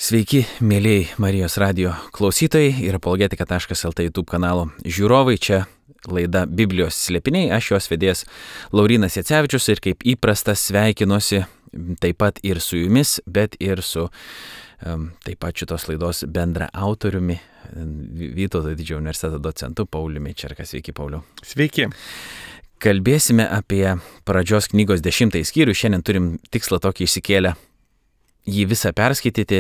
Sveiki, mėlyjei Marijos radio klausytojai ir apologetika.lt YouTube kanalo žiūrovai. Čia laida Biblijos slėpiniai, aš jos vedėjas Laurynas Jacevičius ir kaip įprasta sveikinuosi taip pat ir su jumis, bet ir su taip pat šitos laidos bendra autoriumi, Vytauto didžiojo universiteto docentu Pauliumi Čerka. Sveiki, Pauliau. Sveiki. Kalbėsime apie pradžios knygos 10 skyrių. Šiandien turim tikslą tokį išsikėlę jį visą perskaityti,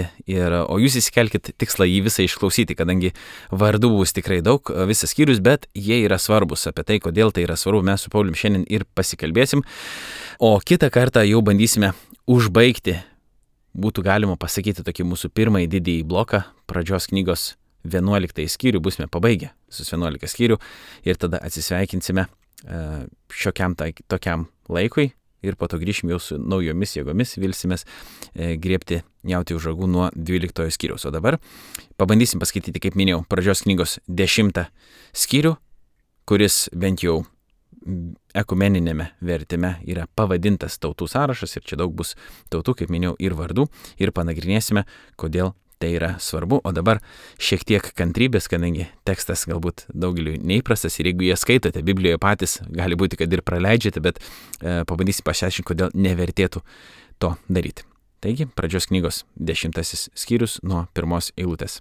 o jūs įsikelkit tikslą jį visą išklausyti, kadangi vardų bus tikrai daug, visas skyrius, bet jie yra svarbus. Apie tai, kodėl tai yra svarbu, mes su Paulium šiandien ir pasikalbėsim. O kitą kartą jau bandysime užbaigti, būtų galima pasakyti, tokį mūsų pirmąjį didįjį bloką, pradžios knygos 11 skyrių, būsime pabaigę visus 11 skyrių ir tada atsisveikinsime šiokiam tokiam laikui. Ir po to grįšim jau su naujomis jėgomis, vilsimės griebti jauti už ragų nuo 12 skyriaus. O dabar pabandysim paskaityti, kaip minėjau, pradžios knygos 10 skyrių, kuris bent jau ekumeninėme vertime yra pavadintas tautų sąrašas ir čia daug bus tautų, kaip minėjau, ir vardų ir panagrinėsime, kodėl tai yra svarbu. O dabar šiek tiek kantrybės, kadangi tekstas galbūt daugeliui neįprastas ir jeigu jie skaitote Biblijoje patys, gali būti, kad ir praleidžiate, bet pabandysim pasiaiškinti, kodėl nevertėtų to daryti. Taigi, pradžios knygos 10 skyrius nuo 1 eilutės.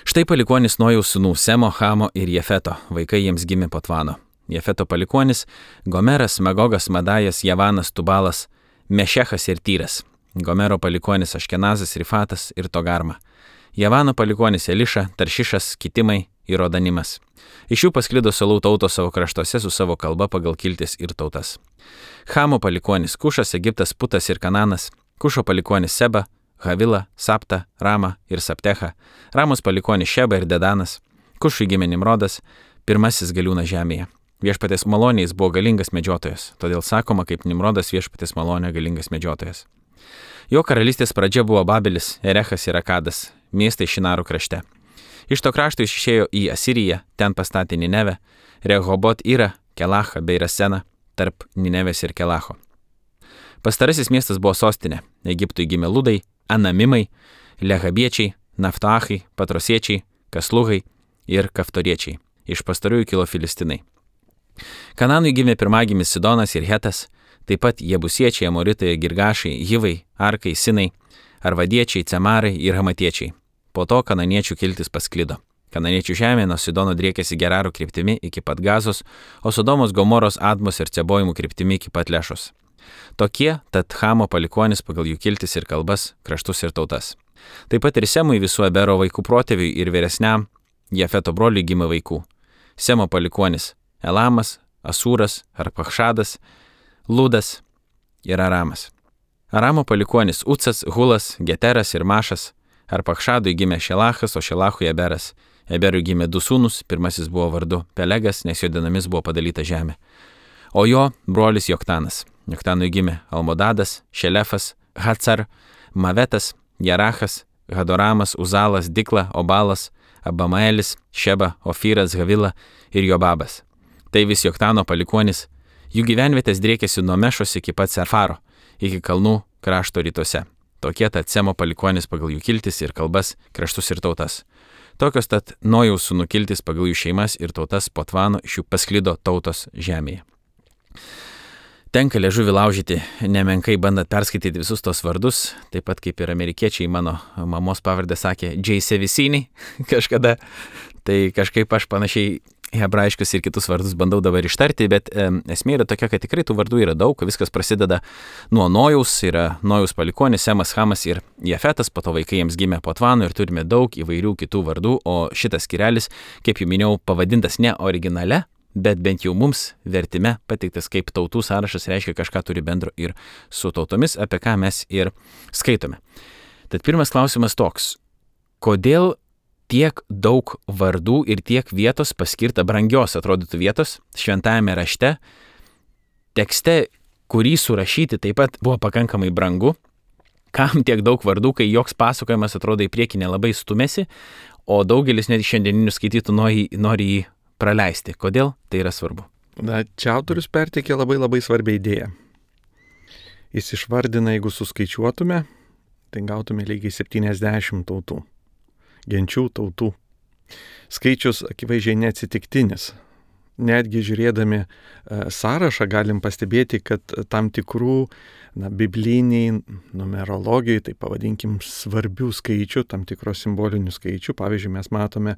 Štai palikuonis Nojaus sūnų Semo, Chamo ir Jefeto. Vaikai jiems gimė po Tvano. Jefeto palikuonis Gomeras, Magogas, Madajas, Javanas, Tubalas, Mešechas ir Tyras. Gomero palikuonis Aškenazas, Rifatas ir Togarma. Javano palikuonis Eliša, Taršišas, Kitimai ir Rodanimas. Iš jų pasklido salų tautos savo kraštuose su savo kalba pagal kiltis ir tautas. Chamo palikuonis Kušas, Egiptas, Putas ir Kananas. Kušo palikuonis Seba, Havila, Sapta, Rama ir Saptecha. Ramos palikuonis Šeba ir Dedanas. Kušui gimė Nimrodas, pirmasis galiūnas žemėje. Viešpatės malonė jis buvo galingas medžiotojas, todėl sakoma, kaip Nimrodas viešpatės malonė galingas medžiotojas. Jo karalystės pradžia buvo Babelis, Erechas ir Akadas, miestai Šinaro krašte. Iš to krašto jis išėjo į Asiriją, ten pastatė Ninevę, Rehobot Irą, Kelachą bei Raseną, tarp Ninevės ir Kelacho. Pastarasis miestas buvo sostinė, Egiptui gimė Ludai, Anamimai, Lehabiečiai, Naftachai, Patrosiečiai, Kasluhai ir Kaftoriečiai. Iš pastarųjų kilo Filistinai. Kananui gimė pirmagimis Sidonas ir Hetas, taip pat Jebusiečiai, Amoritai, Girgašai, Hivai, Arkai, Sinai, Arvadiečiai, Cemarai ir Hamatiečiai. Po to kananiečių kiltis pasklido. Kananiečių žemė nuo Sidono driekėsi Geraro kryptimi iki pat Gazos, o Sodomos, Gomoros, Admos ir Cebojimų kryptimi iki pat Lešos. Tokie tad Chamo palikuonis pagal jų kiltis ir kalbas, kraštus ir tautas. Taip pat ir Semui visų Ebero vaikų protėviui ir vyresniam Jefeto broliui gimė vaikų. Semo palikuonis Elamas, Asūras, Arpachšadas, Ludas ir Aramas. Aramo palikuonis Ucas, Hulas, Geteras ir Mašas. Arpachšadui gimė Šelachas, o Šelachui Eberas. Eberui gimė du sūnus, pirmasis buvo vardu Pelegas, nes jo dienomis buvo padalyta žemė. O jo brolis Joktanas. Joktanui gimė Almodadas, Šelefas, Hacar, Mavetas, Jerachas, Hadoramas, Uzalas, Dikla, Obalas, Abamaelis, Šeba, Ofyras, Havila ir Jobabas. Tai vis Joktano palikuonis. Jų gyvenvietės driekėsi nuo Mešos iki pat Sefaro, iki kalnų krašto rytuose. Tokie tad Semo palikuonis pagal jų kiltis ir kalbas, kraštus ir tautas. Tokios tad Nojaus sūnų kiltis pagal jų šeimas ir tautas po Tvano iš jų pasklido tautos žemėje. Tenka liežuvį laužyti nemenkai bandant perskaityti visus tos vardus, taip pat kaip ir amerikiečiai mano mamos pavardę sakė J. Sevisini kažkada, tai kažkaip aš panašiai hebrajiškus ir kitus vardus bandau dabar ištarti, bet esmė yra tokia, kad tikrai tų vardų yra daug, viskas prasideda nuo Nojaus, yra Nojaus palikuonis, Semas, Chamas ir Jefetas, po to vaikai jiems gimė po Tvano ir turime daug įvairių kitų vardų, o šitas skyrelis, kaip jau minėjau, pavadintas ne originale, bet bent jau mums vertime pateiktas kaip tautų sąrašas, reiškia kažką turi bendro ir su tautomis, apie ką mes ir skaitome. Tad pirmas klausimas toks, kodėl tiek daug vardų ir tiek vietos paskirta brangios, atrodytų vietos, šventajame rašte, tekste, kurį surašyti taip pat buvo pakankamai brangu, kam tiek daug vardų, kai joks pasakojimas atrodo į priekį nelabai stumėsi, o daugelis net šiandieninių skaitytų nori jį praleisti. Kodėl tai yra svarbu? Čia autorius perteikė labai svarbią idėją. Jis išvardina, jeigu suskaičiuotume, tai gautume lygiai 70 tautų, genčių tautų. Skaičius akivaizdžiai neatsitiktinis. Netgi žiūrėdami sąrašą galim pastebėti, kad tam tikrų bibliniai numerologijai, tai pavadinkim svarbių skaičių, tam tikros simbolinių skaičių. Pavyzdžiui, mes matome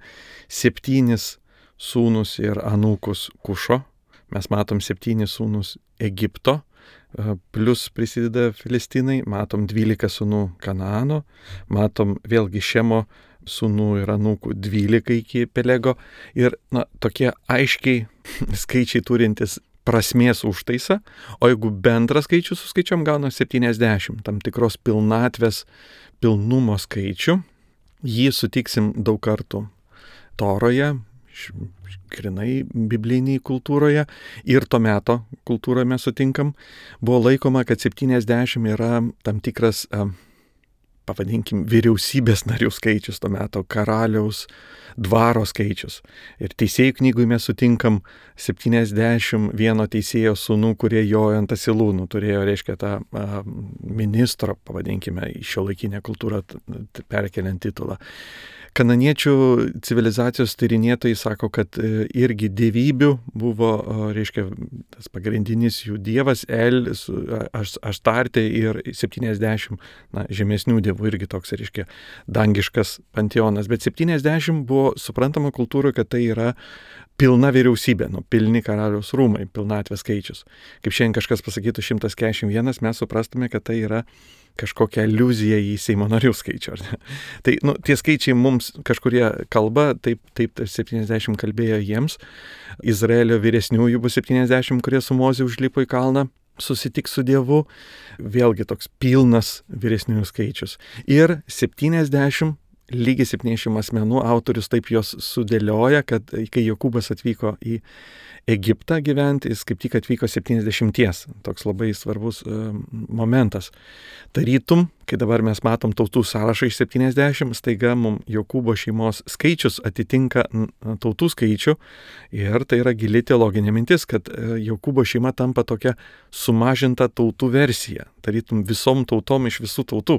7 sūnus ir anūkus Kušo, mes matom 7 sūnus Egipto, plus prisideda Filistinai, matom 12 sūnų Kanaano, matom vėlgi Šemo sūnų ir anūkų 12 iki Pelego ir tokie aiškiai skaičiai turintis prasmės užtaisą, o jeigu bendrą skaičių suskaičiuom, gauna 70, tam tikros pilnatvės, pilnumo skaičių. Jį sutiksim daug kartų Toroje, grinai bibliniai kultūroje ir to meto kultūroje mes sutinkam. Buvo laikoma, kad 70 yra tam tikras, pavadinkim, vyriausybės narių skaičius to meto, karaliaus dvaro skaičius. Ir teisėjų knygui mes sutinkam 71 teisėjo sūnų, kurie jojo ant asilūnų, turėjo, reiškia, tą ministro, pavadinkime, į šiuolaikinę kultūrą perkeliant titulą. Kananiečių civilizacijos tyrinėtojai sako, kad irgi dievybių buvo, reiškia, tas pagrindinis jų dievas Aštartė ir 70 žemesnių dievų, irgi toks, reiškia, dangiškas panteonas. Bet 70 buvo suprantama kultūroje, kad tai yra pilna vyriausybė, pilni karaliaus rūmai, pilnatvės skaičius. Kaip šiandien kažkas pasakytų 141, mes suprastume, kad tai yra kažkokia aliuzija į Seimo narių skaičių. Tai tie skaičiai mums kažkurie kalba, taip 70 kalbėjo jiems. Izraelio vyresniųjų bus 70, kurie su Moze užlipo į kalną susitiks su Dievu. Vėlgi toks pilnas vyresniųjų skaičius. Ir 70, lygiai 70 asmenų, autorius taip jos sudėlioja, kad kai Jokūbas atvyko į Egiptą gyventi, jis kaip tik atvyko 70. Toks labai svarbus momentas. Tarytum, kai dabar mes matom tautų sąrašą iš 70, staiga mums Jokūbo šeimos skaičius atitinka tautų skaičių ir tai yra gili teologinė mintis, kad Jokūbo šeima tampa tokia sumažinta tautų versija. Tarytum visom tautom iš visų tautų.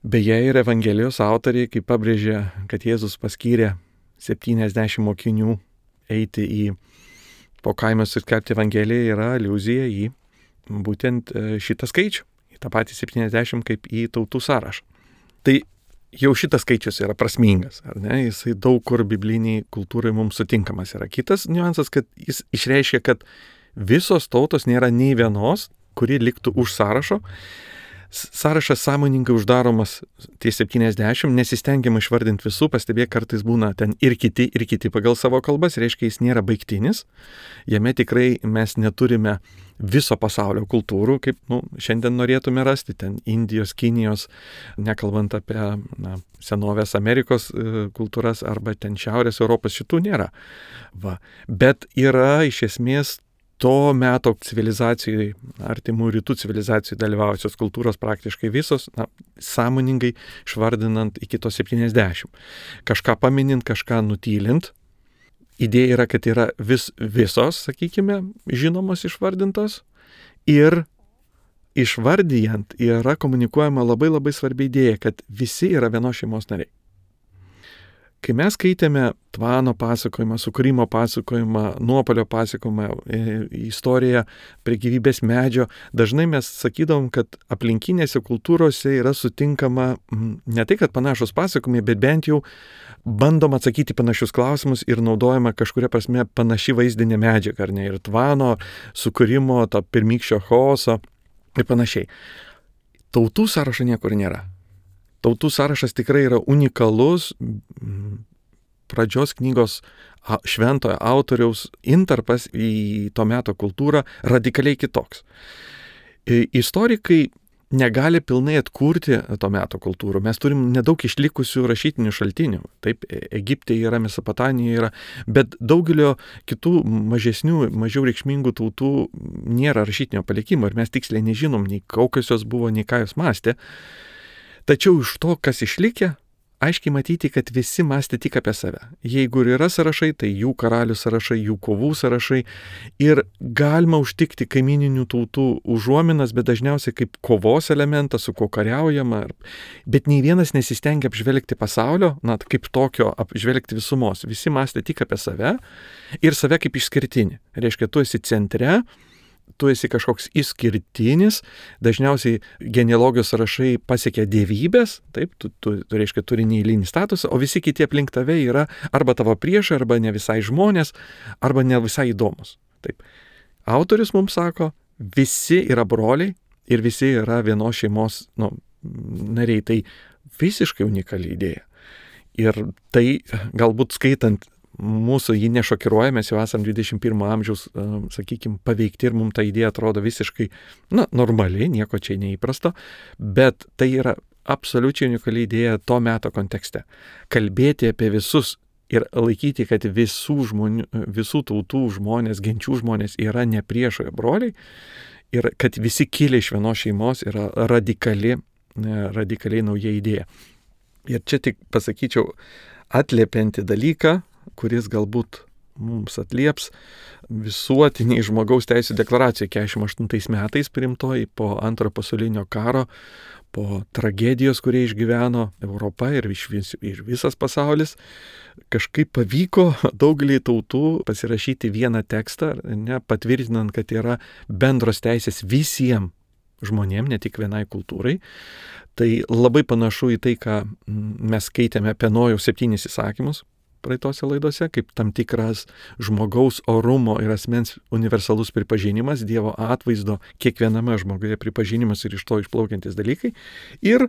Beje, ir Evangelijos autoriai, kaip pabrėžė, kad Jėzus paskyrė 70 mokinių eiti po kaimus ir skelbti Evangeliją, yra aliuzija į būtent šitą skaičių, į tą patį 70 kaip į tautų sąrašą. Tai jau šitas skaičius yra prasmingas, ar ne? Jisai daug kur bibliniai kultūrai mums sutinkamas yra. Kitas niuansas, kad jis išreiškia, kad visos tautos nėra nei vienos, kuri liktų už sąrašo. Sąrašas sąmoningai uždaromas tie 70, nesistengiama išvardinti visų, pastebėk, kartais būna ten ir kiti pagal savo kalbas, reiškia, jis nėra baigtinis, jame tikrai mes neturime viso pasaulio kultūrų, kaip šiandien norėtume rasti, ten Indijos, Kinijos, nekalbant apie senovės Amerikos kultūras arba ten Šiaurės Europos, šitų nėra. Bet yra iš esmės to meto civilizacijai, artimų rytų civilizacijai dalyvaujančios kultūros praktiškai visos, sąmoningai išvardinant iki to 70. Kažką paminint, kažką nutylint. Idėja yra, kad yra visos, sakykime, žinomos išvardintos ir išvardyjant yra komunikuojama labai labai svarbi idėja, kad visi yra vienos šeimos nariai. Kai mes skaitėme Tvano pasakojimą, Sukūrimo pasakojimą, Nuopuolio pasakojimą, istoriją prie gyvybės medžio, dažnai mes sakydavom, kad aplinkinėse kultūrose yra sutinkama ne tai, kad panašus pasakojimai, bet bent jau bandom atsakyti panašius klausimus ir naudojama kažkuria prasme panaši vaizdinė medžiaga, ar ne? Ir Tvano, Sukūrimo, to pirmykščio chaoso ir panašiai. Tautų sąrašo niekur nėra. Tautų sąrašas tikrai yra unikalus, pradžios knygos šventojo autoriaus intarpas į to meto kultūrą radikaliai kitoks. Istorikai negali pilnai atkurti to meto kultūrų. Mes turim nedaug išlikusių rašytinių šaltinių. Taip, Egipte yra, Mesopotamijoje yra, bet daugelio kitų mažesnių, mažiau reikšmingų tautų nėra rašytinio palikimo ir mes tiksliai nežinom, nei kokios jos buvo, nei ką jos mąstė. Tačiau iš to, kas išlikę, aiškiai matyti, kad visi mąstė tik apie save. Jeigu ir yra sąrašai, tai jų karalių sąrašai, jų kovų sąrašai. Ir galima užtikti kaimininių tautų užuominas, bet dažniausiai kaip kovos elementas, su kuo kariaujama. Bet nei vienas nesistengia apžvelgti pasaulio, kaip tokio apžvelgti visumos. Visi mąstė tik apie save ir save kaip išskirtinį. Reiškia, tu esi centre, tu esi kažkoks išskirtinis, dažniausiai genealogijos sąrašai pasiekia dievybės, taip, tu reiškia turi neeilinį statusą, o visi kiti aplink tave yra arba tavo priešai, arba ne visai žmonės, arba ne visai įdomus. Taip. Autorius mums sako, visi yra broliai ir visi yra vienos šeimos nariai. Tai visiškai unikali idėja. Ir tai galbūt skaitant mūsų jį nešokiruoja, mes jau esam 21 amžiaus, sakykime, paveikti ir mums ta idėja atrodo visiškai, normali, nieko čia neįprasto, bet tai yra absoliučiai unikali idėja to meto kontekste. Kalbėti apie visus ir laikyti, kad visų tautų žmonės, genčių žmonės yra ne priešoje broliai ir kad visi kilę iš vienos šeimos yra radikaliai nauja idėja. Ir čia tik pasakyčiau atliepiantį dalyką, kuris galbūt mums atlieps visuotiniai žmogaus teisų deklaracija 48 metais priimtoji po Antrojo pasaulinio karo, po tragedijos, kurie išgyveno Europa ir visas pasaulis. Kažkaip pavyko daugelį tautų pasirašyti vieną tekstą, patvirtinant, kad yra bendros teisės visiems žmonėms, ne tik vienai kultūrai. Tai labai panašu į tai, ką mes skaitėme apie Nojaus 7 įsakymus praeitose laidose, kaip tam tikras žmogaus orumo ir asmens universalus pripažinimas, Dievo atvaizdo kiekviename žmoguje pripažinimas ir iš to išplaukiantis dalykai. Ir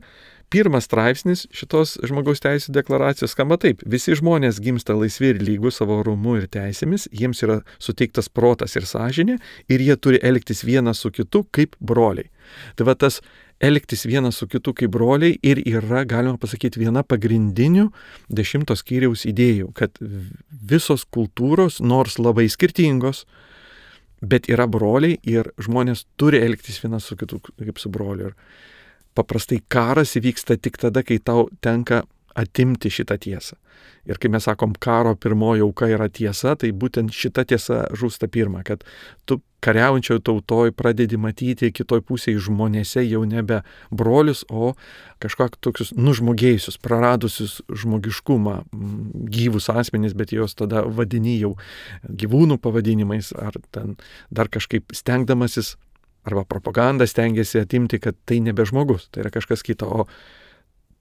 pirmas straipsnis šitos žmogaus teisų deklaracijos skamba taip: visi žmonės gimsta laisvi ir lygūs savo orumu ir teisėmis, jiems yra suteiktas protas ir sąžinė ir jie turi elgtis vienas su kitu kaip broliai. Tai va tas elgtis vienas su kitu kaip broliai ir yra, galima pasakyti, viena pagrindinių 10 skyriaus idėjų, kad visos kultūros, nors labai skirtingos, bet yra broliai ir žmonės turi elgtis vienas su kitu kaip su broliu. Ir paprastai karas įvyksta tik tada, kai tau tenka atimti šitą tiesą. Ir kai mes sakom, karo pirmoji auka yra tiesa, tai būtent šita tiesa žūsta pirma, kad tu kariaujančioje tautoj pradedi matyti kitoj pusėje žmonėse jau nebe brolius, o kažkokius tokius nužmogėjusius, praradusius žmogiškumą, gyvus asmenys, bet jos tada vadini jau gyvūnų pavadinimais, ar ten dar kažkaip stengdamasis, arba propaganda stengiasi atimti, kad tai nebe žmogus, tai yra kažkas kito. O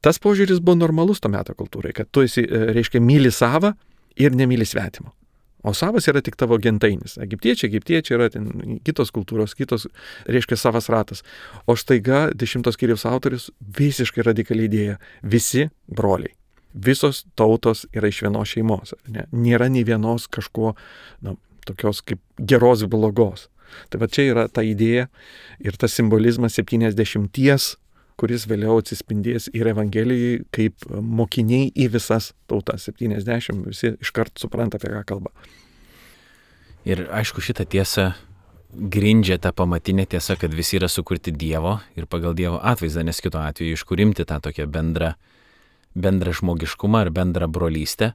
tas požiūris buvo normalus to meto kultūrai, kad tu esi, reiškia, myli savą ir nemyli svetimo. O savas yra tik tavo gentainis. Egiptiečiai yra kitos kultūros, reiškia, savas ratas. O staiga 10 skyriaus autorius visiškai radikaliai idėja. Visi broliai. Visos tautos yra iš vienos šeimos. Nėra nei vienos kažko, tokios kaip geros blogos. Tai va čia yra ta idėja ir tas simbolizmas 70, kuris vėliau atsispindės ir Evangelijai kaip mokiniai į visas tautas. 70 visi iškart supranta, apie ką kalba. Ir aišku, šitą tiesą grindžia ta pamatinė tiesa, kad visi yra sukurti Dievo ir pagal Dievo atvaizdą, nes kito atveju iš kur imti tą tokią bendrą žmogiškumą ar bendrą brolystę.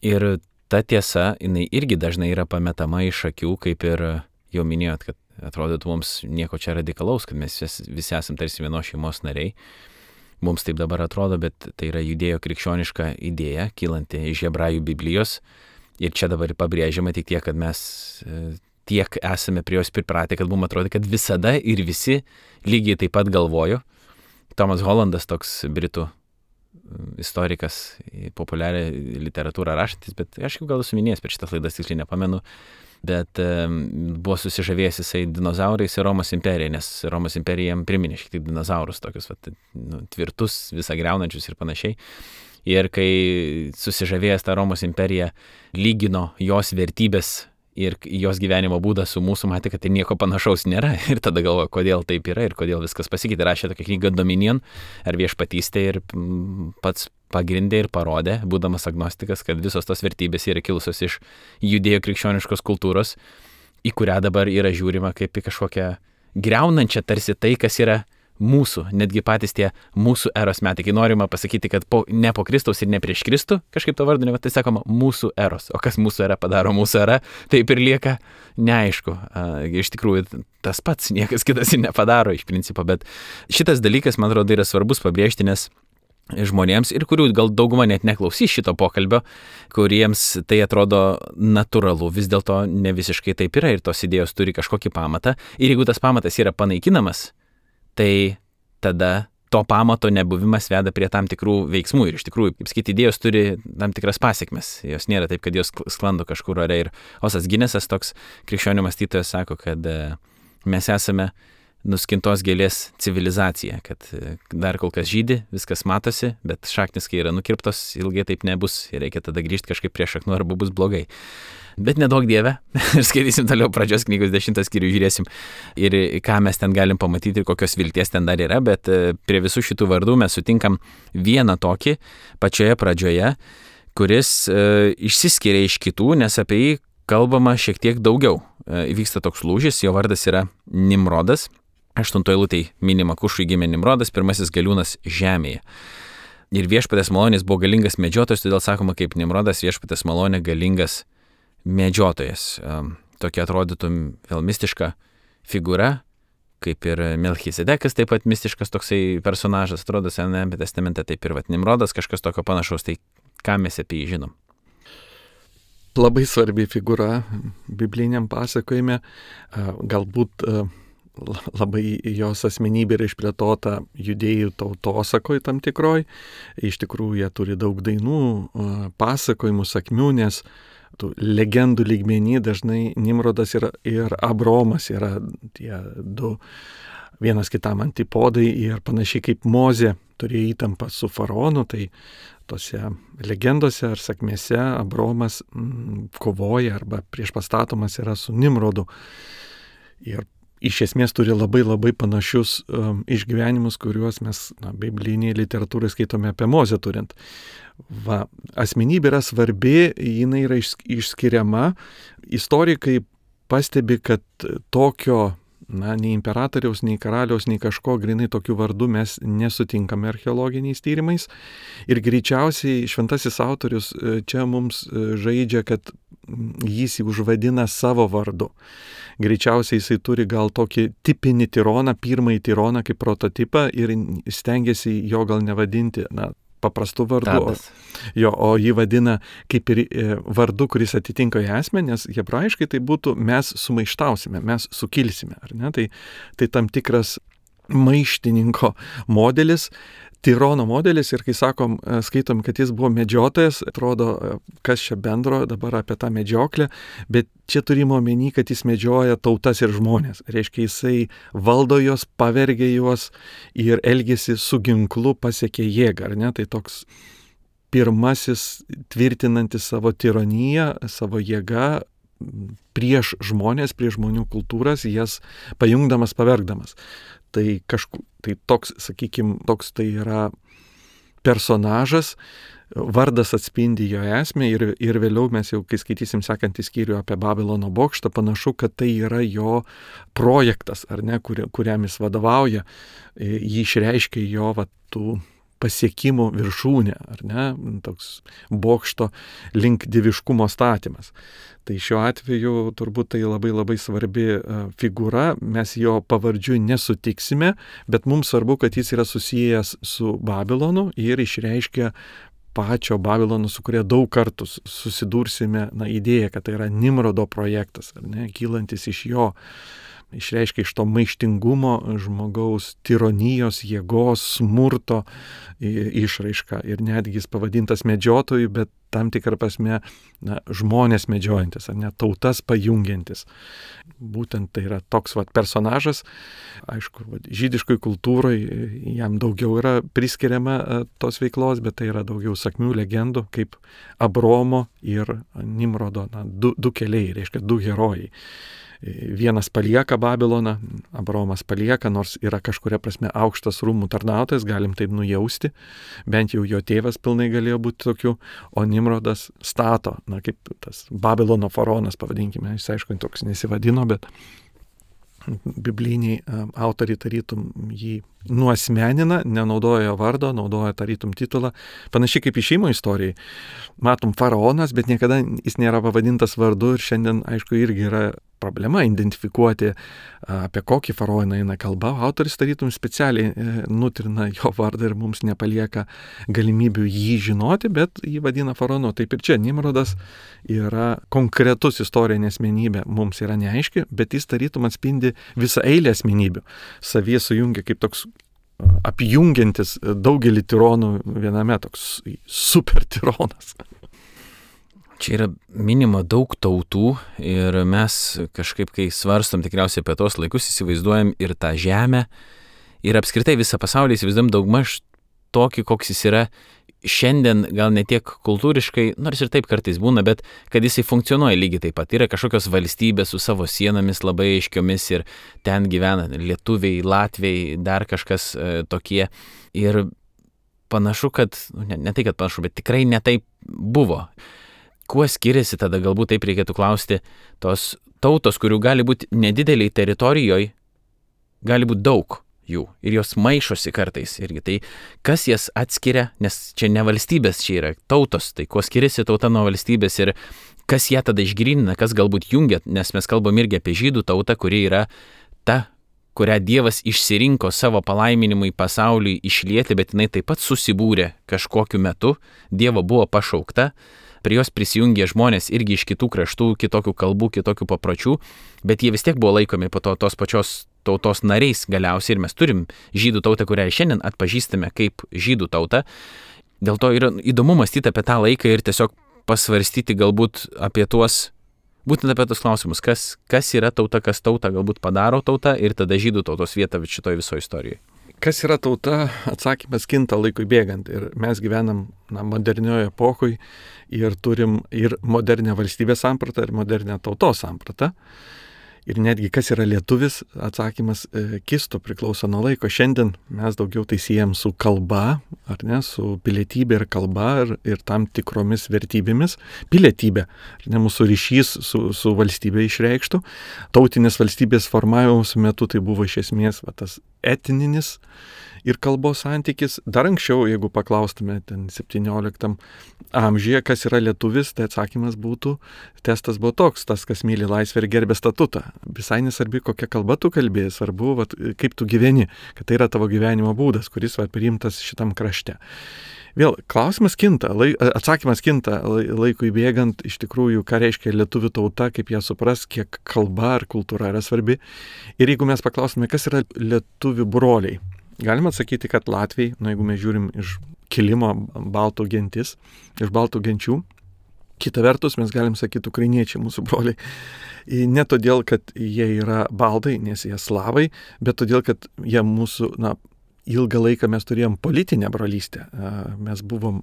Ir ta tiesa, jinai irgi dažnai yra pametama iš akių, kaip ir jau minėjot, kad atrodytų mums nieko čia radikalaus, kad mes visi esam tarsi vienos šeimos nariai. Mums taip dabar atrodo, bet tai yra judėjo krikščioniška idėja, kylanti iš Hebrajų Biblijos. Ir čia dabar pabrėžiama tik tiek, kad mes tiek esame prie jos pripratę, kad mums atrodo, kad visada ir visi lygiai taip pat galvojo. Tomas Hollandas, toks britų istorikas, populiarią literatūrą rašantis, bet aš jau gal esu minėjęs per šitas laidas, tiksliai nepamenu, bet buvo susižavėjęs jisai dinozaurais ir Romos imperija, nes Romos imperija jam priminė šiek tiek dinozaurus, tokius tvirtus, visą griaunančius ir panašiai. Ir kai susižavėjęs tą Romos imperiją lygino jos vertybės ir jos gyvenimo būdą su mūsų, matė, kad tai nieko panašaus nėra. Ir tada galvoja, kodėl taip yra ir kodėl viskas pasikeitė. Rašė tokią knygą Dominion ar viešpatystė ir pats pagrindė ir parodė, būdamas agnostikas, kad visos tos vertybės yra kilusios iš judėjo krikščioniškos kultūros, į kurią dabar yra žiūrima kaip į kažkokią griaunančią tarsi tai, kas yra mūsų, netgi patys tie mūsų eros metai, kai norima pasakyti, kad ne po Kristaus ir ne prieš Kristų, kažkaip to vardu, tai sakoma mūsų eros. O kas mūsų era padaro mūsų era, taip ir lieka neaišku. Iš tikrųjų, tas pats niekas kitas ir nepadaro iš principo, bet šitas dalykas, man atrodo, yra svarbus pabrėžti, nes žmonėms ir kurių gal dauguma net neklausys šito pokalbio, kuriems tai atrodo natūralu, vis dėlto ne visiškai taip yra ir tos idėjos turi kažkokį pamatą. Ir jeigu tas pamatas yra panaikinamas, tai tada to pamato nebuvimas veda prie tam tikrų veiksmų. Ir iš tikrųjų, kaip sakyti, idėjos turi tam tikras pasiekmes. Jos nėra taip, kad jos sklando kažkur ore. Ir Osas Ginesas, toks krikščionių mąstytojas, sako, kad mes esame nuskintos gėlės civilizacija, kad dar kol kas žydi, viskas matosi, bet šaknis, kai yra nukirptos, ilgai taip nebus ir reikia tada grįžti kažkaip prie šaknų arba bus blogai. Bet nedaug Dieve, ir skaitysim toliau Pradžios knygos 10 skyrių, žiūrėsim ir ką mes ten galim pamatyti ir kokios vilties ten dar yra, bet prie visų šitų vardų mes sutinkam vieną tokį pačioje pradžioje, kuris išsiskiria iš kitų, nes apie jį kalbama šiek tiek daugiau. Vyksta toks lūžis, jo vardas yra Nimrodas. 8 eilutėj minima, Kušui gimė Nimrodas, pirmasis galiūnas žemėje. Ir viešpatės malonės buvo galingas medžiotojas, todėl sakoma kaip Nimrodas, viešpatės malonė galingas medžiotojas. Tokia atrodytų vėl mistiška figūra, kaip ir Melchisedekas, taip pat mistiškas toksai personažas, atrodo Senajame testamente, taip ir Nimrodas, kažkas tokio panašaus, tai ką mes apie jį žinom? Labai svarbi figūra bibliniam pasakojime, galbūt labai jos asmenybė yra išplėtota judėjų tautosakoj tam tikroj. Iš tikrųjų, jie turi daug dainų, pasakojimų, sakmių, nes tų legendų lygmenį dažnai Nimrodas ir Abromas yra tie du vienas kitam antipodai ir panašiai kaip Mozė turėjo įtampą su faraonu, tai tose legendose ar sakmėse Abromas kovoja arba priešpastatomas yra su Nimrodu. Ir iš esmės turi labai labai panašius išgyvenimus, kuriuos mes biblinėje literatūroje skaitome apie Mozę turint. Asmenybė yra svarbi, jinai yra išskiriama. Istorikai pastebi, kad tokio nei imperatoriaus, nei karaliaus, nei kažko grinai tokių vardų mes nesutinkame archeologiniais tyrimais. Ir greičiausiai šventasis autorius čia mums žaidžia, kad jis jį užvadina savo vardu. Greičiausiai jisai turi gal tokį tipinį tironą, pirmąjį tironą kaip prototipą ir stengiasi jo gal nevadinti, paprastų vardų, o jį vadina kaip ir vardu, kuris atitinka jo esmę, nes hebrajiškai tai būtų mes sumaištausime, mes sukilsime, ar ne? Tai tam tikras maištininko modelis, tirono modelis ir kai skaitom, kad jis buvo medžiotojas, atrodo, kas čia bendro dabar apie tą medžioklę, bet čia turime omeny, kad jis medžioja tautas ir žmonės. Reiškia, jisai valdo juos, pavergia juos ir elgesi su ginklu, pasiekia jėgą, ar ne? Tai toks pirmasis tvirtinantis savo tironiją, savo jėgą prieš žmonės, prieš žmonių kultūras, jas pajungdamas, pavergdamas. Tai toks, sakykime, tai yra personažas, vardas atspindi jo esmę ir vėliau mes jau, kai skaitysim sekantį skyrių apie Babilono bokštą, panašu, kad tai yra jo projektas, ar ne, kuriam jis vadovauja, jį išreiškia jo tų pasiekimų viršūnė, ar ne, toks bokšto link dieviškumo statymas. Tai šiuo atveju turbūt tai labai labai svarbi figūra, mes jo pavardžių nesutiksime, bet mums svarbu, kad jis yra susijęs su Babilonu ir išreiškia pačio Babilono, su kuria daug kartų susidursime, idėja, kad tai yra Nimrodo projektas, ar ne, kylantis iš jo. Išreiškia iš to maištingumo žmogaus tironijos, jėgos, smurto išraišką. Ir netgi jis pavadintas medžiotoju, bet tam tikrą prasme žmonės medžiojantis, ar ne, tautas pajungiantis. Būtent tai yra toks personažas. Aišku, žydiškoj kultūrai jam daugiau yra priskiriama tos veiklos, bet tai yra daugiau sakmių, legendų, kaip Abromo ir Nimrodo, du keliai, reiškia du herojai. Vienas palieka Babiloną, Abromas palieka, nors yra kažkuria prasme aukštas rūmų tarnautojas, galim taip nujausti, bent jau jo tėvas pilnai galėjo būti tokiu, o Nimrodas stato, kaip tas Babilono faraonas, pavadinkime, jis aišku toks nesivadino, bet bibliniai autoriai tarytum jį nuasmenina, nenaudoja vardo, naudoja tarytum titulą. Panašiai kaip išėjimo istorijai. Matom faraonas, bet niekada jis nėra pavadintas vardu ir šiandien, aišku, irgi yra problema identifikuoti, apie kokį faraoną eina kalba. Autoris tarytum specialiai nutrina jo vardą ir mums nepalieka galimybių jį žinoti, bet jį vadina faraonu. Taip ir čia Nimrodas yra konkretus istorinė asmenybė, mums yra neaiški, bet jis tarytum atspindi visą eilę asmenybių. Savyje sujungia kaip toks apjungiantis daugelį tironų viename, toks super tironas. Čia yra minima daug tautų ir mes kažkaip, kai svarstom tikriausiai apie tos laikus, įsivaizduojam ir tą žemę, ir apskritai visą pasaulį įsivaizduojam daugmaž tokį, koks jis yra šiandien, gal ne tiek kultūriškai, nors ir taip kartais būna, bet kad jisai funkcionuoja lygiai taip pat. Yra kažkokios valstybės su savo sienomis labai aiškiomis ir ten gyvena lietuviai, latviai, dar kažkas tokie. Ir panašu, kad, ne tai kad panašu, bet tikrai ne taip buvo. Kuo skiriasi tada, galbūt taip reikėtų klausti, tos tautos, kurių gali būti nedideliai teritorijoje, gali būti daug jų ir jos maišosi kartais irgi. Tai kas jas atskiria, nes čia ne valstybės, čia yra tautos, tai kuo skiriasi tauta nuo valstybės ir kas ją tada išgrynina, kas galbūt jungia, nes mes kalbam irgi apie žydų tautą, kuri yra ta, kurią Dievas išsirinko savo palaiminimui pasauliui išlieti, bet jinai taip pat susibūrė kažkokiu metu, Dievo buvo pašaukta. Prie jos prisijungė žmonės irgi iš kitų kraštų, kitokių kalbų, kitokių papročių, bet jie vis tiek buvo laikomi po to tos pačios tautos nariais galiausiai ir mes turim žydų tautą, kurią šiandien atpažįstame kaip žydų tautą. Dėl to yra įdomu mąstyti apie tą laiką ir tiesiog pasvarstyti galbūt apie tuos, būtent apie tos klausimus, kas yra tauta, kas tautą galbūt padaro tautą ir tada žydų tautos vietą šitoje visoje istorijoje. Kas yra tauta, atsakymas kinta laikui bėgant ir mes gyvenam modernioje epochoje ir turim ir modernę valstybės sampratą ir modernę tautos sampratą. Ir netgi kas yra lietuvis, atsakymas kisto priklauso nuo laiko. Šiandien mes daugiau tai siejam su kalba, ar ne, su pilietybė ir kalba ir tam tikromis vertybėmis. Pilietybė, ar ne, mūsų ryšys su valstybė išreikštų. Tautinės valstybės formavimosi metu tai buvo iš esmės tas etninis ir kalbos santykis. Dar anksčiau, jeigu paklaustume ten 17 amžiuje, kas yra lietuvis, tai atsakymas būtų, testas buvo toks, tas, kas myli laisvę ir gerbė statutą. Visai nesvarbi, kokia kalba tu kalbėjai, svarbu, kaip tu gyveni, kad tai yra tavo gyvenimo būdas, kuris priimtas šitam krašte. Vėl, klausimas kinta, atsakymas kinta laikui bėgant, iš tikrųjų, ką reiškia lietuvių tauta, kaip ją supras, kiek kalba ar kultūra yra svarbi. Ir jeigu mes paklaustume, kas yra lietuvių broliai, galima atsakyti, kad latviai, jeigu mes žiūrim iš kilimo baltų gentis, iš baltų genčių, kita vertus mes galim sakyti ukrainiečiai, mūsų broliai. Ne todėl, kad jie yra baldai, nes jie slavai, bet todėl, kad jie mūsų, ilgą laiką mes turėjom politinę brolystę. Mes buvom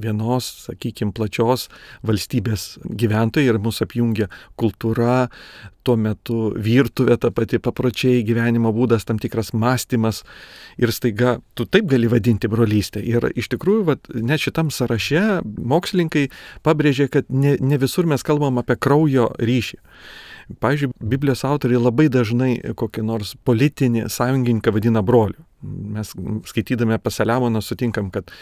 vienos, sakykime, plačios valstybės gyventojai ir mūsų apjungia kultūra, tuo metu virtuvė, ta pati papročiai, gyvenimo būdas, tam tikras mąstymas ir staiga tu taip gali vadinti brolystę. Ir iš tikrųjų, net šitam sąraše mokslininkai pabrėžė, kad ne visur mes kalbam apie kraujo ryšį. Pavyzdžiui, Biblijos autoriai labai dažnai kokį nors politinį sąjungininką vadina broliu. Mes skaitydami apie Saliamoną sutinkam, kad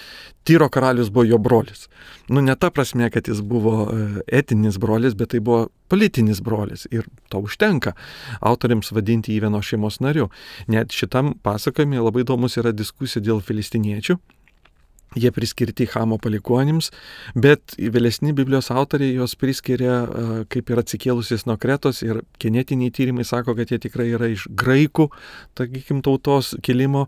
Tyro karalius buvo jo brolis. Ne ta prasme, kad jis buvo etinis brolis, bet tai buvo politinis brolis ir to užtenka autoriams vadinti jį vienos šeimos nariu. Net šitam pasakojime labai įdomus yra diskusija dėl filistiniečių. Jie priskirti Chamo palikuonims, bet vėlesni Biblijos autoriai jos priskiria kaip ir atsikėlusiais nuo Kretos ir genetiniai tyrimai sako, kad jie tikrai yra iš graikų, sakykim, tautos kilimo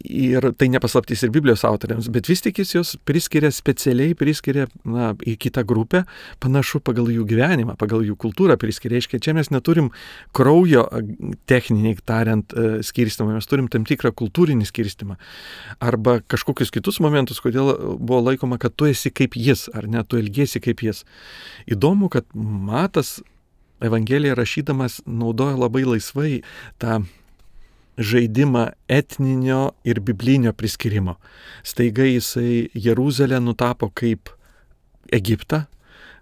ir tai nepaslaptys ir Biblijos autoriams, bet vis tik jis jos priskiria specialiai, į kitą grupę, panašu pagal jų gyvenimą, pagal jų kultūrą priskiria. Reiškia, čia mes neturim kraujo techniniai tariant skirstimą, mes turim tam tikrą kultūrinį skirstimą arba kažkokius kitus momentus, kodėl buvo laikoma, kad tu esi kaip jis, ar ne, tu elgiesi kaip jis. Įdomu, kad Matas Evangeliją rašydamas naudoja labai laisvai tą žaidimą etninio ir biblinio priskirimo. Staiga jisai Jeruzalę nutapo kaip Egiptą,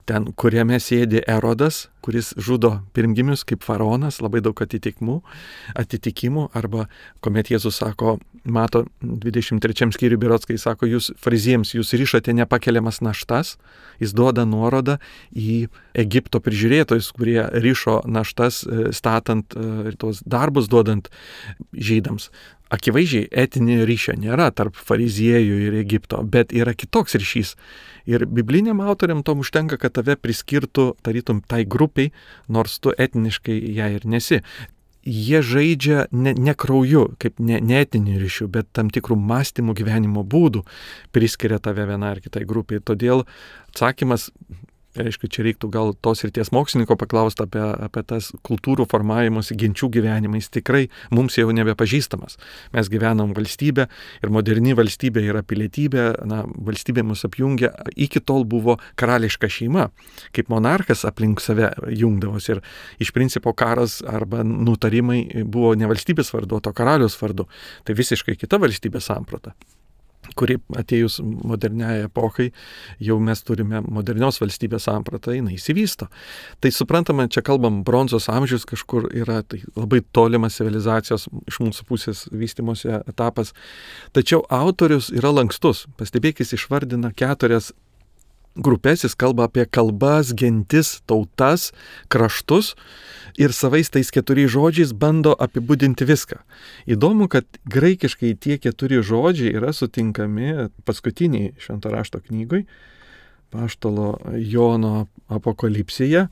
ten, kuriame sėdi Erodas, kuris žudo pirmgimius kaip faraonas, labai daug atitikimų, arba kuomet Jėzus sako, Mato 23 skyriui berods, kai sako, jūs fariziejams, jūs rišate nepakeliamas naštas, jis duoda nuorodą į Egipto prižiūrėtojus, kurie rišo naštas statant ir tos darbus duodant žydams. Akivaizdžiai etinio ryšio nėra tarp fariziejų ir Egipto, bet yra kitoks ryšys. Ir bibliniam autoriam tom užtenka, kad tave priskirtų, tarytum, tai grupiai, nors tu etniškai ją ir nesi. Jie žaidžia ne krauju, kaip ne etinių ryšių, bet tam tikrų mąstymų gyvenimo būdų priskiria tave vienai ar kitai grupiai. Todėl atsakymas, aišku, čia reiktų gal tos ryties mokslininko paklausti apie tas kultūrų formavimuose, genčių gyvenimais, tikrai mums jau nebepažįstamas. Mes gyvenam valstybę ir moderni valstybė yra pilietybė, valstybė mus apjungia, iki tol buvo karališka šeima, kaip monarchas aplink save jungdavosi ir iš principo karas arba nutarimai buvo ne valstybės vardu, o karalius vardu. Tai visiškai kita valstybės samprata, kuri atėjus moderniai epochai, jau mes turime modernios valstybės sampratą, jinai įsivysto. Tai suprantama, čia kalbam, bronzos amžius kažkur yra, tai labai tolimas civilizacijos iš mūsų pusės vystymosi etapas. Tačiau autorius yra lankstus. Pastebėkit, jis išvardina 4 grupės, jis kalba apie kalbas, gentis, tautas, kraštus ir savais tais 4 žodžiais bando apibūdinti viską. Įdomu, kad graikiškai tie 4 žodžiai yra sutinkami paskutiniai Švento rašto knygoj, Apaštalo Jono Apokalipsėje,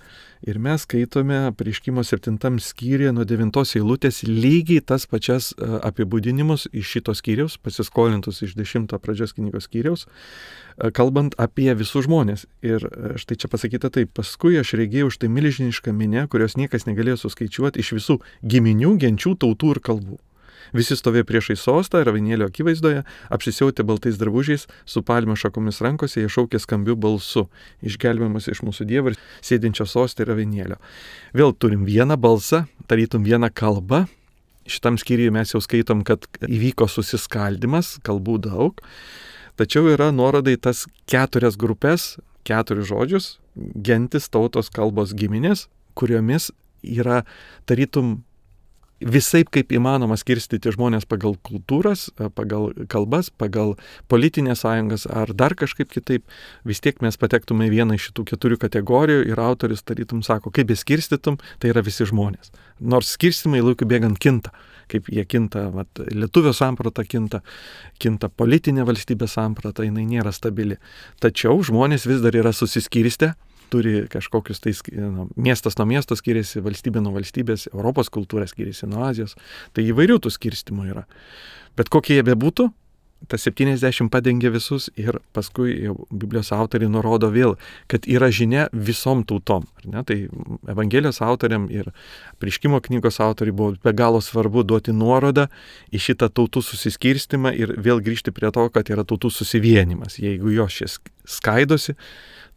ir mes skaitome Apreiškimo 7 skyriuje nuo 9 eilutės lygiai tas pačias apibūdinimus iš šito skyriaus, pasiskolintus iš 10 pradžios knygos skyriaus, kalbant apie visus žmonės. Ir štai čia pasakyta taip: paskui aš regėjau štai milžinišką minią, kurios niekas negalėjo suskaičiuoti, iš visų giminių, genčių, tautų ir kalbų. Visi stovėjo priešai sostą ir avinėlio akivaizdoje, apsisiautę baltais drabužiais, su palmių šakomis rankose, jie šaukė skambiu balsu: išgelbėjimas iš mūsų Dievo ir sėdinčio sostą ir avinėlio. Vėl turim vieną balsą, tarytum vieną kalbą. Šitam skyriuje mes jau skaitom, kad įvyko susiskaldimas, kalbų daug. Tačiau yra nuoroda į tas 4 grupės, 4 žodžius, gentis, tautos, kalbos, giminės, kuriomis yra tarytum visaip kaip įmanoma skirstyti žmonės pagal kultūras, pagal kalbas, pagal politinės sąjungas ar dar kažkaip kitaip. Vis tiek mes patektume į vieną iš šitų 4 kategorijų ir autorius tarytum sako, kaip beskirstytum, tai yra visi žmonės. Nors skirstimai laikui bėgant kinta, kaip jie kinta, lietuvio samprata kinta politinė valstybės samprata, jinai nėra stabili. Tačiau žmonės vis dar yra susiskirstę, turi kažkokius miestas nuo miesto skiriasi, valstybė nuo valstybės, Europos kultūra skiriasi nuo Azijos. Tai įvairių tų skirstimų yra. Bet kokie jie bebūtų, tas 70 padengia visus ir paskui jau Biblijos autoriai nurodo vėl, kad yra žinia visom tautom. Tai Evangelijos autoriam ir Apreiškimo knygos autoriai buvo be galo svarbu duoti nuorodą į šitą tautų susiskirstimą ir vėl grįžti prie to, kad yra tautų susivienimas. Jeigu jos šis skaidosi,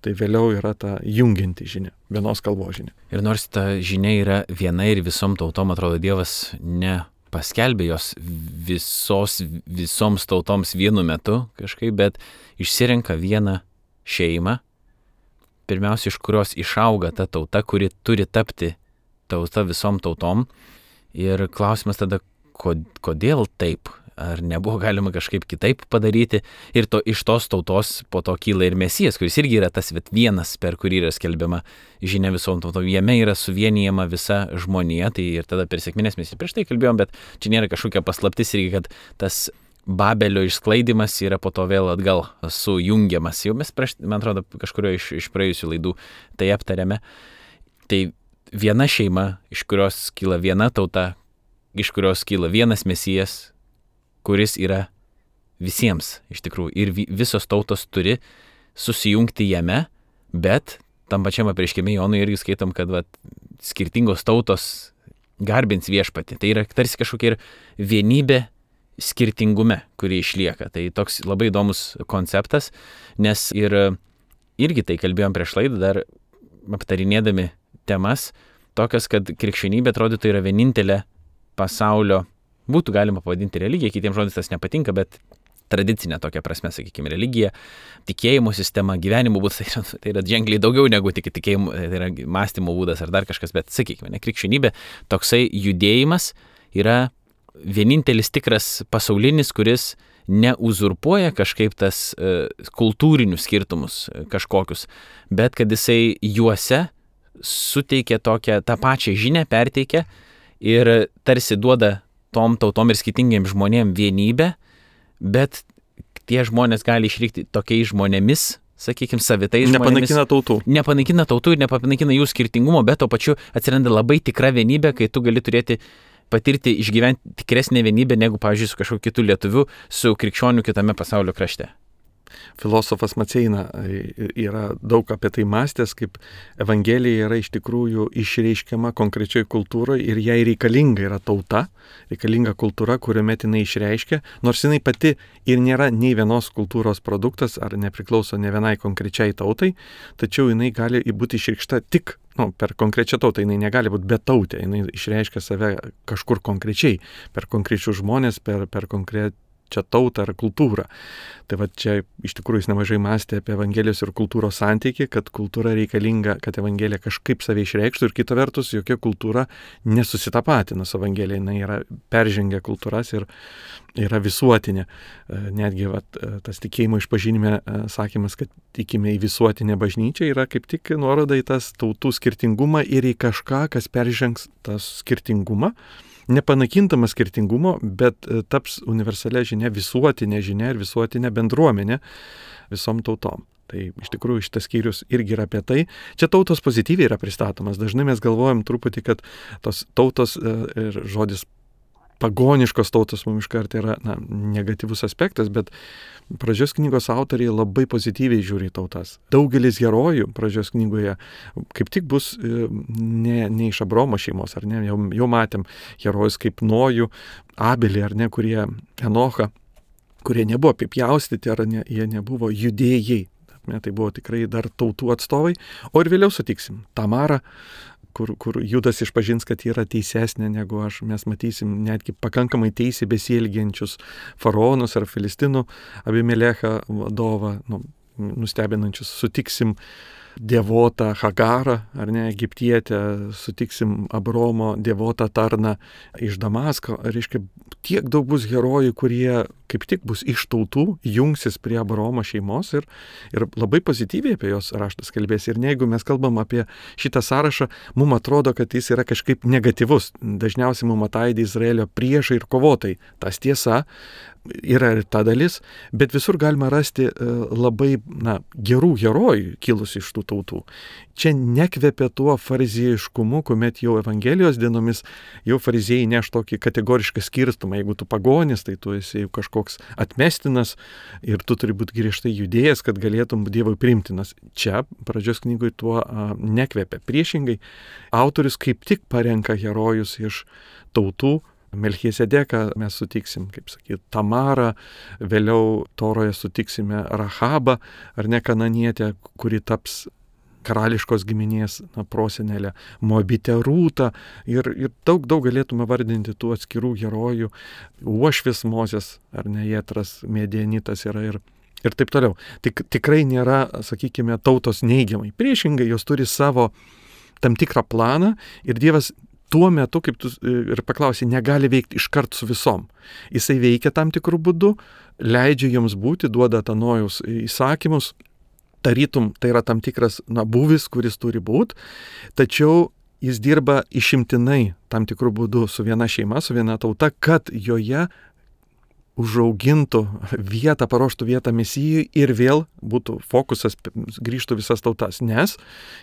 tai vėliau yra ta jungianti žinia, vienos kalbos žinia. Ir nors ta žinia yra viena ir visom tautom, atrodo, Dievas nepaskelbė jos visoms tautoms vienu metu kažkaip, bet išsirenka vieną šeimą, pirmiausia, iš kurios išauga ta tauta, kuri turi tapti tauta visom tautom. Ir klausimas tada, kodėl taip? Ar nebuvo galima kažkaip kitaip padaryti? Ir iš tos tautos po to kyla ir Mesijas, kuris irgi yra tas vienas, per kurį yra skelbiama žinia visom tautom. Jame yra suvienijama visa žmonija, tai ir tada per sekmines mes prieš tai kalbėjom, bet čia nėra kažkokia paslaptis irgi, kad tas Babelio išsklaidimas yra po to vėl atgal sujungiamas. Jau mes man atrodo, kažkurio iš praėjusių laidų tai aptarėme. Tai viena šeima, iš kurios kyla viena tauta, iš kurios kyla vienas Mesijas, kuris yra visiems iš tikrųjų. Ir visos tautos turi susijungti jame, bet tam pačiam Apreiškime Jonui irgi skaitom, kad skirtingos tautos garbins viešpatį. Tai yra tarsi kažkokia ir vienybė skirtingume, kuri išlieka. Tai toks labai įdomus konceptas, nes irgi tai kalbėjom prieš laidą, dar aptarinėdami temas, tokias, kad krikščionybė atrodytų yra vienintelė pasaulio, būtų galima pavadinti religija, kitiems žodis tas nepatinka, bet tradicinė tokia prasme, sakykime, religija, tikėjimo sistema, gyvenimo būdas, tai yra ženkliai daugiau negu tik tikėjimo, tai yra mąstymo būdas ar dar kažkas, bet sakykime, krikščionybė, toksai judėjimas yra vienintelis tikras pasaulinis, kuris neuzurpuoja kažkaip tas kultūrinius skirtumus kažkokius, bet kad jisai juose suteikia tą pačią žinią, perteikia ir tarsi duoda tom tautom ir skirtingiems žmonėms vienybę, bet tie žmonės gali išlikti tokiais žmonėmis, sakykime, savitais žmonėmis. Nepanaikina tautų ir nepanaikina jų skirtingumo, bet to pačiu atsiranda labai tikra vienybė, kai tu gali patirti, išgyventi tikresnę vienybę negu, pavyzdžiui, su kažkokiu kitu lietuviu, su krikščioniu kitame pasaulio krašte. Filosofas Maceina yra daug apie tai mąstęs, kaip Evangelija yra iš tikrųjų išreiškiama konkrečiai kultūroje ir jai reikalinga yra tauta, reikalinga kultūra, kuriuomet jinai išreiškia, nors jinai pati ir nėra nei vienos kultūros produktas ar nepriklauso ne vienai konkrečiai tautai, tačiau jinai gali būti išreikšta tik per konkrečią tautą, jinai negali būti betautė, jinai išreiškia save kažkur konkrečiai, per konkrečius žmonės, per konkrečią tautą ar kultūrą. Tai va čia iš tikrųjų jis nemažai mąstė apie Evangelijos ir kultūros santykį, kad kultūra reikalinga, kad Evangelija kažkaip save išreikštų ir kita vertus, jokia kultūra nesusitapatina su Evangelija, jinai yra peržengia kultūras ir yra visuotinė. Netgi tas tikėjimo išpažinime sakymas, kad tikime į visuotinę bažnyčią, yra kaip tik nuoroda į tas tautų skirtingumą ir į kažką, kas peržengs tas skirtingumą. Nepanakintamas skirtingumo, bet taps universalia žinia, visuotinė žinia ir visuotinė bendruomenė visom tautom. Tai iš tikrųjų šitas skyrius irgi yra apie tai. Čia tautos pozityviai yra pristatomas. Dažnai mes galvojam truputį, kad tos tautos ir žodis pagoniškos tautos mums iškart yra negatyvus aspektas, bet Pradžios knygos autoriai labai pozityviai žiūri į tautas. Daugelis herojų Pradžios knygoje kaip tik bus ne iš Abraomo šeimos, ar ne? Jau matėm herojus kaip Nojų, Abelį, ar ne, kurie Enochą, kurie nebuvo apipjaustyti, ar ne, jie nebuvo judėjai. Tai buvo tikrai dar tautų atstovai. O ir vėliau sutiksim Tamarą, kur Judas išpažins, kad yra teisesnė negu aš. Mes matysim netgi pakankamai teisiai besielgiančius faraonus ar Filistinų Abimelechą vadovą, nustebinančius. Sutiksim dievotą Hagarą, ar ne, egiptietę, sutiksim Abraomo dievotą tarną iš Damasko. Reiškia, tiek daug bus herojų, kurie kaip tik bus iš tautų, jungsis prie Abraomo šeimos ir labai pozityviai apie jos raštas kalbės. Ir jeigu mes kalbam apie šitą sąrašą, mums atrodo, kad jis yra kažkaip negatyvus. Dažniausiai mums ataidi Izraelio priešai ir kovotai. Tas tiesa, yra ir ta dalis, bet visur galima rasti labai gerų herojų kilus iš tų tautų. Čia nekvepia tuo fariziejiškumu, kuomet jau Evangelijos dienomis jau fariziejai neš tokį kategorišką skirstumą. Jeigu tu pagonis, tai tu esi jau kažkoks atmestinas ir tu turi būti griežtai judėjęs, kad galėtum Dievui priimtinas. Čia Pradžios knygoje tuo nekvepia. Priešingai, autorius kaip tik parenka herojus iš tautų. Melchiesedeką mes sutiksim, kaip sakyti, Tamarą, vėliau Toroje sutiksime Rahabą, ar ne, kananietę, kuri taps karališkos giminės prosenelė, Moabitę Rūtą ir daug galėtume vardinti tų atskirų herojų, Uošvis Mozės, ar ne, Jetras, Midianitas yra ir taip toliau. Tikrai nėra, sakykime, tautos neigiamai. Priešingai, jos turi savo tam tikrą planą ir Dievas tuo metu, kaip tu ir paklausai, negali veikti iškart su visom. Jisai veikia tam tikrų būdų, leidžia joms būti, duoda Nojaus įsakymus, tarytum tai yra tam tikras būvis, kuris turi būti, tačiau jis dirba išimtinai tam tikrų būdų su viena šeima, su viena tauta, kad joje užaugintų vietą, paruoštų vietą Mesijui ir vėl būtų fokusas, grįžtų visas tautas. Nes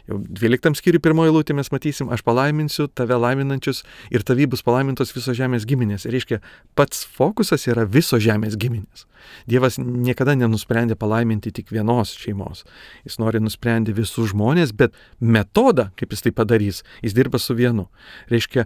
jau 12 skyriui 1 eilutė mes matysim, aš palaiminsiu tave laiminančius ir tavy bus palaimintos visos žemės giminės. Reiškia, pats fokusas yra visos žemės giminės. Dievas niekada nenusprendė palaiminti tik vienos šeimos. Jis nori nusprendė visus žmonės, bet metodą, kaip jis tai padarys, jis dirba su vienu. Reiškia,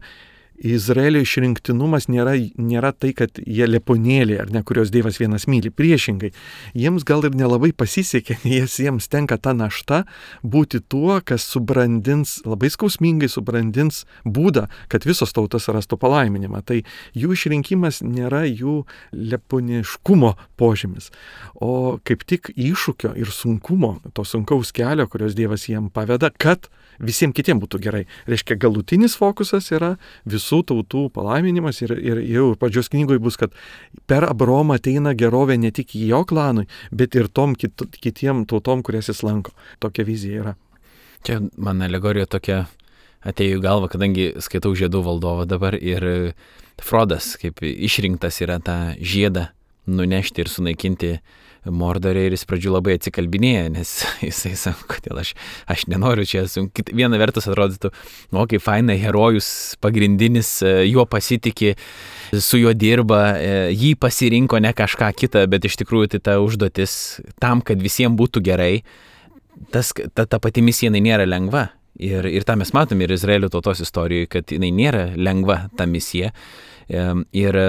Izraelio išrinktinumas nėra tai, kad jie leponėliai, ar ne, kurios Dievas vienas myli. Priešingai, jiems gal ir nelabai pasisekė, jiems tenka ta našta būti tuo, kas subrandins, labai skausmingai subrandins būdą, kad visos tautos rastų palaiminimą. Tai jų išrinkimas nėra jų leponiškumo požymis, o kaip tik iššūkio ir sunkumo, to sunkaus kelio, kurios Dievas jiem paveda, kad visiems kitiems būtų gerai. Reiškia, galutinis fokusas yra visų visų tautų palaiminimas ir jau pradžios knygoje bus, kad per Abraomą ateina gerovė ne tik jo klanui, bet ir tom kitiem tautom, kurias jis lanko. Tokia vizija yra. Čia man alegorija tokia atėjo į galvą, kadangi skaitau Žiedų valdovą dabar ir Frodas kaip išrinktas yra tą žiedą nunešti ir sunaikinti Mordorė ir jis pradžių labai atsikalbinėja, nes jisai sako, kodėl aš nenoriu čia. Viena vertus atrodytų, kaip faina, herojus pagrindinis, juo pasitikė, su juo dirba, jį pasirinko ne kažką kitą, bet iš tikrųjų tai ta užduotis tam, kad visiems būtų gerai, ta pati misija jinai nėra lengva. Ir tą mes matome ir Izraelio tautos istorijoje, kad jinai nėra lengva ta misija. Ir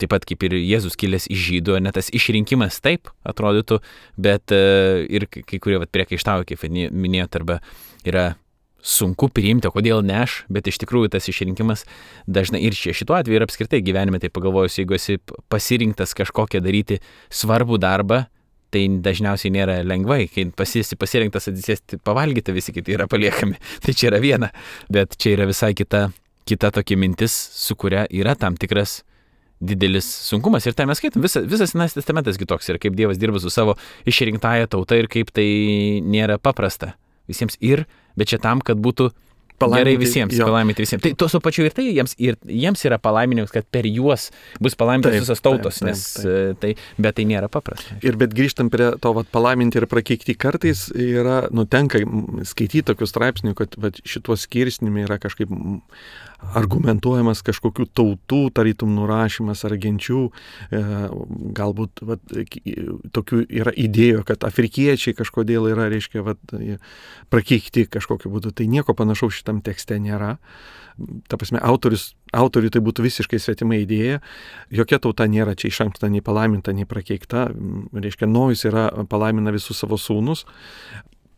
taip pat kaip ir Jėzus kilęs iš žydų, net tas išrinkimas taip atrodytų, bet ir kai kurie priekaištauja, kaip minėjot, arba yra sunku priimti, o kodėl ne aš, bet iš tikrųjų tas išrinkimas dažnai ir šituo atveju ir apskritai gyvenime, tai pagalvojus, jeigu esi pasirinktas kažkokią daryti svarbų darbą, tai dažniausiai nėra lengvai, kai pasirinktas atsisėsti pavalgyti, visi kiti yra paliekami, tai čia yra viena, bet čia yra visai kita tokia mintis, su kuria yra tam tikras didelis sunkumas. Ir tai mes skaitom, visas Senasis testamentas kitoks ir kaip Dievas dirba su savo išrinktąja tauta ir kaip tai nėra paprasta visiems. Bet čia tam, kad būtų gerai visiems, palaiminti visiems. Tai tuo pačiu ir tai jiems yra palaiminimas, kad per juos bus palaimintas visas tautos, taip. Bet tai nėra paprasta. Ir bet grįžtant prie to palaiminti ir prakeikti, kartais yra, tenka skaityti tokius straipsnių, kad šitos skirsnimi yra kažkaip argumentuojamas kažkokių tautų, tarytum nurašymas ar genčių, galbūt tokių yra idėjų, kad afrikiečiai kažkodėl yra, reiškia, prakeikti kažkokiu būdu. Tai nieko panašaus šitam tekste nėra. Ta prasme, autoriui tai būtų visiškai svetima idėja. Jokia tauta nėra čia iš anksto nei palaiminta, nei prakeikta. Reiškia, Nojus palaimina visus savo sūnus.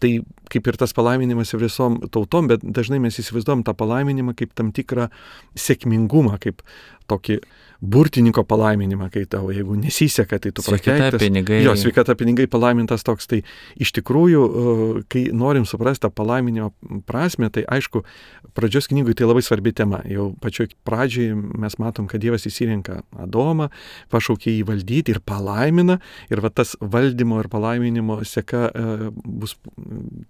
Tai kaip ir tas palaiminimas visom tautom, bet dažnai mes įsivaizduojam tą palaiminimą kaip tam tikrą sėkmingumą, kaip tokį burtininko palaiminimą, kai tau, jeigu nesiseka, tai tu prakeiktas. Sveikata, pinigai palaimintas toks. Tai iš tikrųjų, kai norim suprasti tą palaiminimo prasme, tai aišku, pradžios knygui tai labai svarbi tema. Jau pačioj pradžiai mes matom, kad Dievas įsirenka Adomą, pašaukė jį valdyti ir palaimina. Ir tas valdymo ir palaiminimo seka bus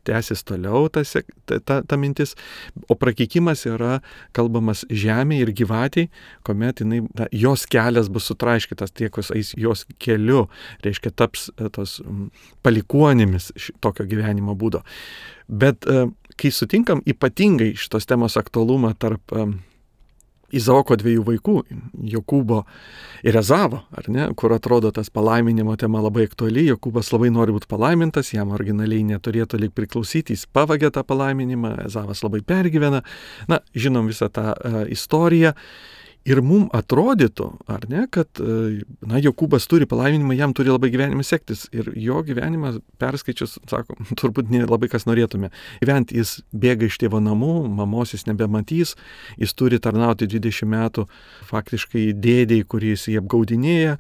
tęsis toliau, ta mintis. O prakeikimas yra kalbamas žemė ir gyvatei, kuomet jos kelias bus sutraiškytas, tie, kas eis jos keliu, reiškia, taps tos palikuonimis tokio gyvenimo būdo. Bet kai sutinkam ypatingai šitos temos aktualumą tarp Izaoko dviejų vaikų, Jokūbo ir Ezavo, ar ne, kur atrodo tas palaiminimo tema labai aktuali, Jokūbas labai nori būti palaimintas, jam originaliai neturėtų lyg priklausyti, jis pavagia tą palaiminimą, Ezavas labai pergyvena, žinom visą tą istoriją. Ir mums atrodytų, ar ne, kad Jokūbas turi palaiminimą, jam turi labai gyvenimą sektis. Ir jo gyvenimą perskaičius, sako, turbūt nelabai kas norėtume. Gyventi jis bėga iš tėvo namų, mamos jis nebematys, jis turi tarnauti 20 metų faktiškai dėdėjai, kuris jį apgaudinėja,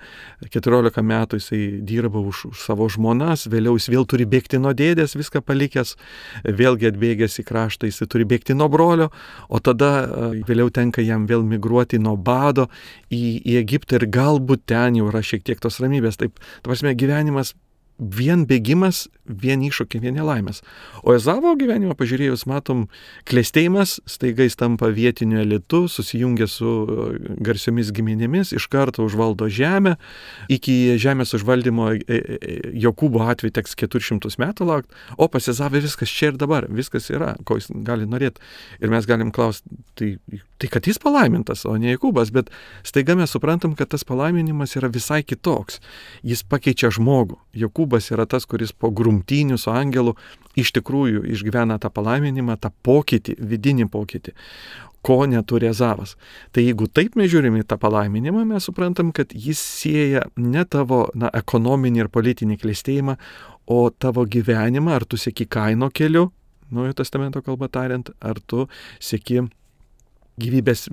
14 metų jisai dirba už savo žmonas, vėliau jis vėl turi bėgti nuo dėdės, viską palikęs, vėlgi atbėgęs į kraštą, jisai turi bėgti nuo brolio, o tada vėliau tenka jam vėl migruoti nuo bado į Egiptą ir galbūt ten jau yra šiek tiek tos ramybės. Taip, ta prasme, gyvenimas vien bėgimas, vien iššūkiai, vien nelaimės. O Ezavo gyvenimą pažiūrėjus, matom, klestėjimas, staiga jis tampa vietiniu elitu, susijungia su garsiomis giminėmis, iš karto užvaldo žemę. Iki žemės užvaldymo Jokūbo atveju teks 400 metų laukti, o pas Ezavą viskas čia ir dabar, viskas yra, ko jis gali norėti. Ir mes galim klausti, tai kad jis palaimintas, o ne Jokūbas, bet staiga mes suprantam, kad tas palaiminimas yra visai kitoks. Jis pakeičia žmogų. Jokūbas yra tas, kuris po grumtynių su angelu iš tikrųjų išgyvena tą palaiminimą, tą pokytį, vidinį pokytį, ko neturi Ezavas. Tai jeigu taip mes žiūrime į tą palaiminimą, mes suprantam, kad jis sieja ne tavo ekonominį ir politinį klestėjimą, o tavo gyvenimą, ar tu seki Kaino keliu, Naujojo testamento kalba tariant, ar tu seki gyvybės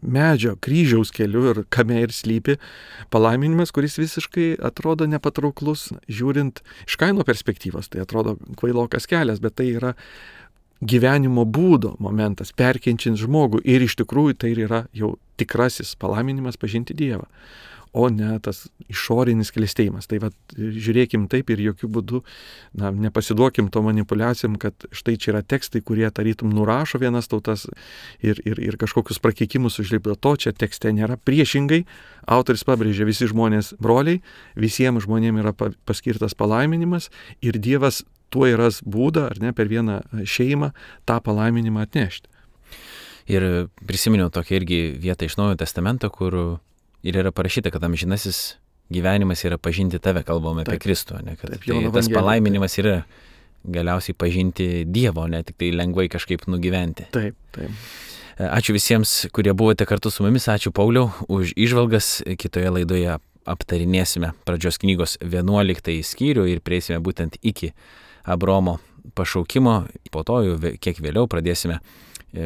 medžio, kryžiaus keliu ir kame ir slypi palaiminimas, kuris visiškai atrodo nepatrauklus, žiūrint iš Kaino perspektyvos. Tai atrodo kvailokas kelias, bet tai yra gyvenimo būdo momentas, perkenčiant žmogų ir iš tikrųjų tai yra jau tikrasis palaiminimas pažinti Dievą, o ne tas išorinis klestėjimas. Tai žiūrėkim taip ir jokių būdų nepasiduokim to manipulacijom, kad štai čia yra tekstai, kurie tarytum nurašo vienas tautas ir kažkokius prakeikimus užlipdo. To čia tekste nėra. Priešingai, autoris pabrėžia, visi žmonės broliai, visiems žmonėms yra paskirtas palaiminimas ir Dievas tuo yra būdą, ar ne, per vieną šeimą tą palaiminimą atnešti. Ir prisiminiau tokią irgi vietą iš Naujojo Testamento, kur ir yra parašyta, kad amžinasis gyvenimas yra pažinti tave, kalbame apie Kristų, ne, kad tas palaiminimas yra galiausiai pažinti Dievo, ne tik tai lengvai kažkaip nugyventi. Taip. Ačiū visiems, kurie buvote kartu su mumis, ačiū Pauliau už įžvalgas. Kitoje laidoje aptarinėsime pradžios knygos 11 skyrių ir prieisime būtent iki Abraomo pašaukimo. Po to jau kiek vėliau pradėsime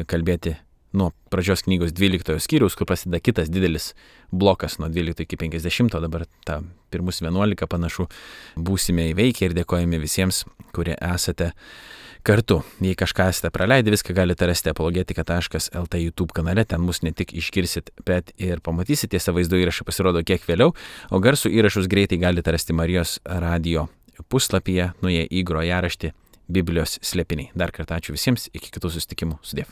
kalbėti nuo pradžios knygos 12 skyriaus, kur prasideda kitas didelis blokas nuo 12 iki 50, dabar tą pirmus 11 panašu būsime įveikę ir dėkojame visiems, kurie esate kartu. Jei kažką esate praleidę, viską galite rasti apologetika.lt YouTube kanale, ten mus ne tik išgirsit, bet ir pamatysit, tiesa vaizdo įrašai pasirodo kiek vėliau, o garsų įrašus greitai galite rasti Marijos radijo puslapyje, nuėję į grojaraštį Biblijos slėpiniai. Dar kartą ačiū visiems, iki kitų susitikimų. Sudiev.